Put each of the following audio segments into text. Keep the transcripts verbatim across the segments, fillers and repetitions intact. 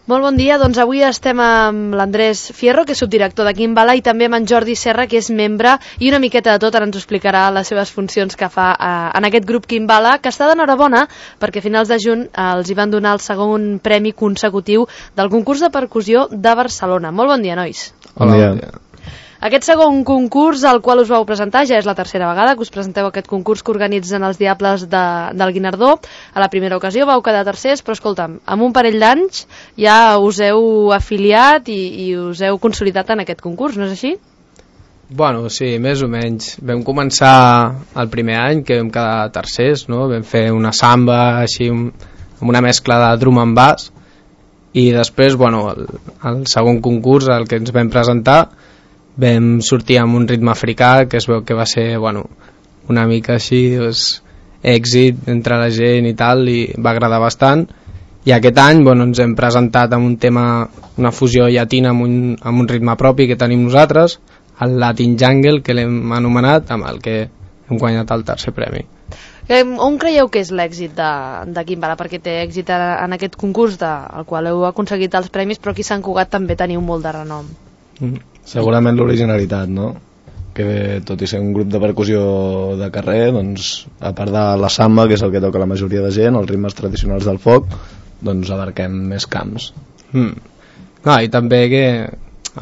Molt bon dia, doncs avui estem amb l'Andrés Fierro, que és subdirector de Kimbala, i també amb en Jordi Serra, que és membre, i una miqueta de tot, ara ens explicarà les seves funcions que fa eh, en aquest grup Kimbala, que està d'enhorabona perquè a finals de juny eh, els hi van donar el segon premi consecutiu del concurs de percussió de Barcelona. Molt bon dia, nois. Bon dia. Bon dia. Aquest segon concurs al qual us vau presentar ja és la tercera vegada que us presenteu aquest concurs que organitzen els Diables de, del Guinardó. A la primera ocasió vau quedar tercers, però escolta'm, amb un parell d'anys ja us heu afiliat i, i us heu consolidat en aquest concurs, no és així? Bueno, sí, més o menys. Vam començar el primer any, que vam quedar tercers, no? Vam fer una samba així amb una mescla de drum and bass, i després, bueno, el, el segon concurs, el que ens vam presentar, vam sortir amb un ritme africà que es veu que va ser, bueno, una mica així, doncs, èxit entre la gent i tal, i va agradar bastant. I aquest any, bueno, ens hem presentat amb un tema, una fusió llatina amb un, amb un ritme propi que tenim nosaltres, el Latin Jungle, que l'hem anomenat, amb el que hem guanyat el tercer premi. On creieu que és l'èxit de, de Kimbala? Perquè té èxit en aquest concurs de, al qual heu aconseguit els premis, però aquí a Sant Cugat també teniu molt de renom. Mm. Segurament l'originalitat, no? Que tot i ser un grup de percussió de carrer, doncs, a part de la samba, que és el que toca la majoria de gent, els ritmes tradicionals del folk, doncs abarquem més camps. Mm. No, i també que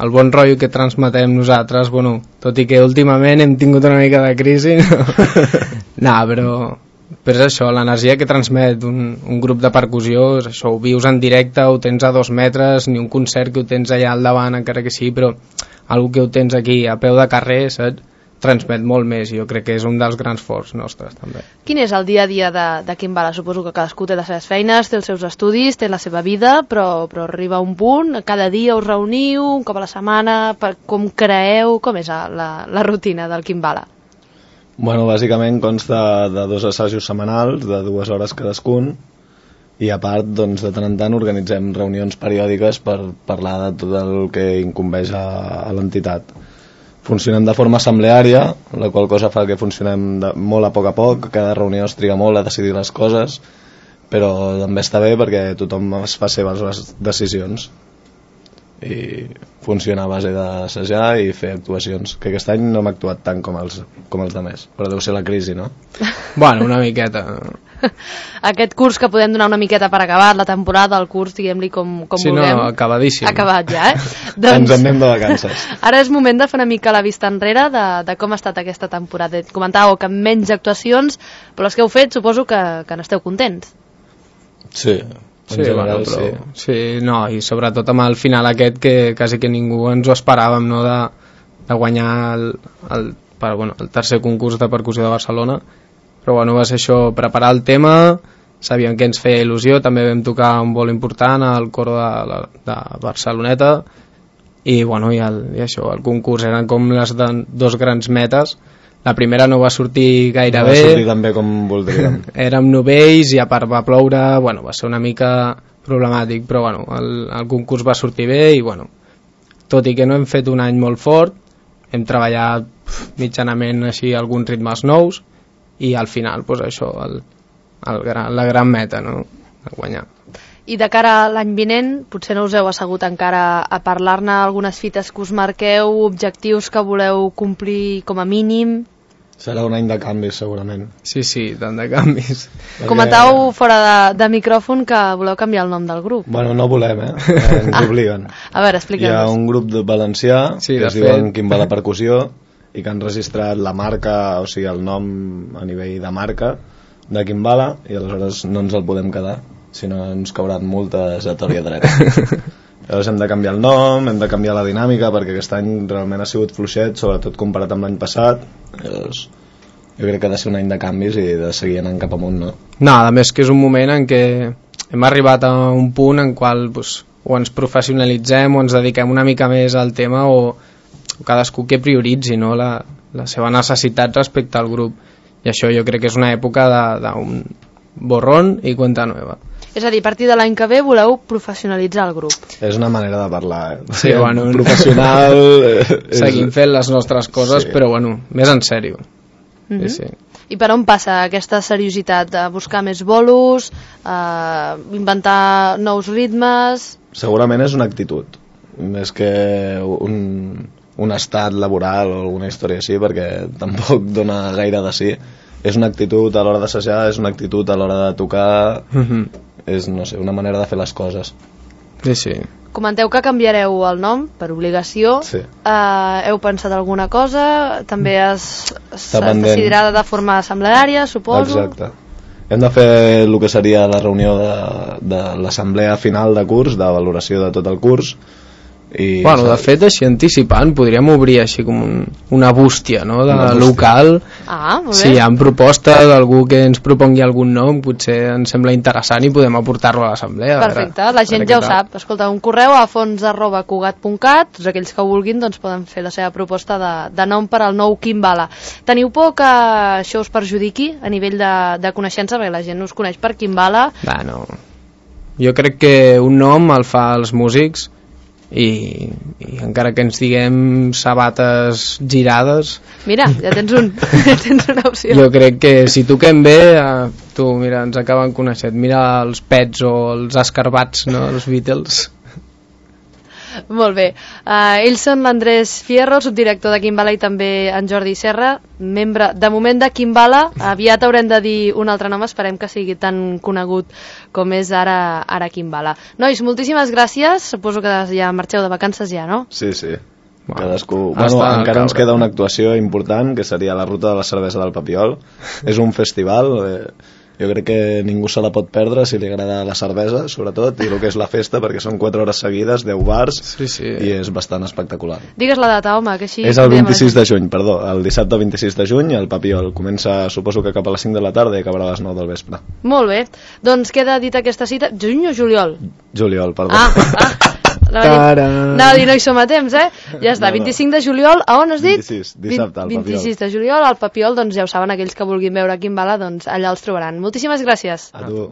el bon rotllo que transmetem nosaltres, bueno, tot i que últimament hem tingut una mica de crisi, no, no però, però és això, l'energia que transmet un, un grup de percussió, és això, ho vius en directe, ho tens a dos metres, ni un concert que ho tens allà al davant, encara que sí, però algo que ho tens aquí a peu de carrer, saps? Transmet molt més, i jo crec que és un dels grans forts nostres també. Quin és el dia a dia de, de Kimbala? Suposo que cadascú té les seves feines, té els seus estudis, té la seva vida, però, però arriba un punt, cada dia us reuniu, un cop a la setmana, per, com creeu, com és la, la rutina del Kimbala? Bueno, bàsicament consta de dos assajos setmanals, de dues hores cadascun, i a part, doncs, de tant en tant organitzem reunions periòdiques per parlar de tot el que incumbeix a, a l'entitat. Funcionem de forma assembleària, la qual cosa fa que funcionem de, molt a poc a poc, cada reunió es triga molt a decidir les coses, però també està bé perquè tothom es fa seves les decisions i funciona a base d'assajar i fer actuacions, que aquest any no hem actuat tant com els, com els demés, però deu ser la crisi, no? Bueno, una miqueta. Aquest curs que podem donar una miqueta per acabat, la temporada, el curs, diguem-li com, com sí, vulguem. Sí, no, acabadíssim. Acabat ja, eh? doncs, ens en anem de vacances. Ara és moment de fer una mica la vista enrere de, de com ha estat aquesta temporada. Comentàveu que menys actuacions, però les que heu fet suposo que, que n'esteu contents. Sí, sí, general, bueno, però, sí. sí, no, i sobretot amb el final aquest que quasi que ningú ens ho esperàvem, no, de, de guanyar el, el, per, bueno, el tercer concurs de percussió de Barcelona. Però bueno, va ser això, preparar el tema, sabíem que ens feia il·lusió, també vam tocar un vol important al coro de, de Barceloneta, i bueno, i, el, i això, el concurs eren com les de, dos grans metes. La primera no va sortir gaire no bé, va sortir tan bé com voldríem. Érem novells i a part va ploure, bueno, va ser una mica problemàtic, però bueno, el, el concurs va sortir bé i bueno, tot i que no hem fet un any molt fort, hem treballat mitjanament així alguns ritmes nous, i al final, pues, això, el, el gran, la gran meta, no? A guanyar. I de cara a l'any vinent, potser no us heu assegut encara a parlar-ne algunes fites que us marqueu, objectius que voleu complir com a mínim? Serà un any de canvis, segurament. Sí, sí, tant de canvis. Perquè... Comentàveu fora de, de micròfon que voleu canviar el nom del grup. Bueno, no volem, eh? Ens obliguen. A veure, expliqueu-nos. Hi ha un grup de valencià, sí, que es diuen Kimbala Percussió, i que han registrat la marca, o sigui, el nom a nivell de marca de Kimbala, i aleshores no ens el podem quedar, si no ens cauran multes a tort i a dret. Llavors hem de canviar el nom, hem de canviar la dinàmica, perquè aquest any realment ha sigut fluixet, sobretot comparat amb l'any passat. Llavors, jo crec que ha de ser un any de canvis i de seguir anant cap amunt, no? No, a més que és un moment en què hem arribat a un punt en qual pues, o ens professionalitzem o ens dediquem una mica més al tema, o cadascú que prioritzi, no, la, la seva necessitat respecte al grup, i això jo crec que és una època d'un borrón i cuenta nueva. És a dir, a partir de l'any que ve voleu professionalitzar el grup. És una manera de parlar, eh? Sí, bueno, professional... Seguim fent les nostres coses, sí. Però bueno, més en sèrio. Mm-hmm. Sí, sí. I per on passa aquesta seriositat? De buscar més bolos, eh, inventar nous ritmes... Segurament és una actitud, més que un, un estat laboral o alguna història així, perquè tampoc dona gaire de sí. És una actitud a l'hora d'assajar, és una actitud a l'hora de tocar, mm-hmm. és, no sé, una manera de fer les coses. Sí, sí. Comenteu que canviareu el nom per obligació. Sí. Uh, heu pensat alguna cosa? També es, es decidirà de forma assembleària, suposo? Exacte. Hem de fer el que seria la reunió de, de l'assemblea final de curs, de valoració de tot el curs. I bueno, de fet, així anticipant, podríem obrir així com un, una bústia, no?, de bústia. Local. Ah, molt bé. Si hi ha proposta d'algú que ens propongui algun nom, potser ens sembla interessant i podem aportar-lo a l'assemblea. Perfecte, veure, la gent ja ho sap. Escolta, un correu a fons arroba cugat punt cat, tots aquells que vulguin doncs poden fer la seva proposta de, de nom per al nou Kimbala. Teniu por que això us perjudiqui a nivell de, de coneixença, perquè la gent us coneix per Kimbala? Va, no. Jo crec que un nom el fa els músics, I, i encara que ens diguem sabates girades, mira, ja tens un ja tens una opció. Jo crec que si toquem bé, eh, tu, mira, ens acaben coneixent, mira els Pets o els Escarbats, no?, els Beatles. Molt bé, uh, ells són l'Andrés Fierro, subdirector de Kimbala, i també en Jordi Serra, membre de moment de Kimbala. Aviat haurem de dir un altre nom, esperem que sigui tan conegut com és ara, ara Kimbala. Nois, moltíssimes gràcies, suposo que ja marxeu de vacances ja, no? Sí, sí. Cadascú... Bueno, encara ens queda una actuació important, que seria la ruta de la cervesa del Papiol. És un festival... Eh... Jo crec que ningú se la pot perdre si li agrada la cervesa, sobretot, i el que és la festa, perquè són quatre hores seguides, deu bars, sí, sí. I és bastant espectacular. Digues la data, home, que així... És el vint-i-sis de juny, perdó, el dissabte vint-i-sis de juny, el Papiol. Comença, suposo que cap a les cinc de la tarda i acabarà a les nou del vespre. Molt bé, doncs queda dit aquesta cita... Juny o juliol? Juliol, perdó. Ah, ah. Anava a dir, no hi som a temps, eh? Ja està, vint-i-cinc de juliol, a on has dit? vint-i-sis, dissabte, al Papiol. vint-i-sis de juliol, al Papiol, doncs ja ho saben, aquells que vulguin veure Kimbala, doncs allà els trobaran. Moltíssimes gràcies. A tu.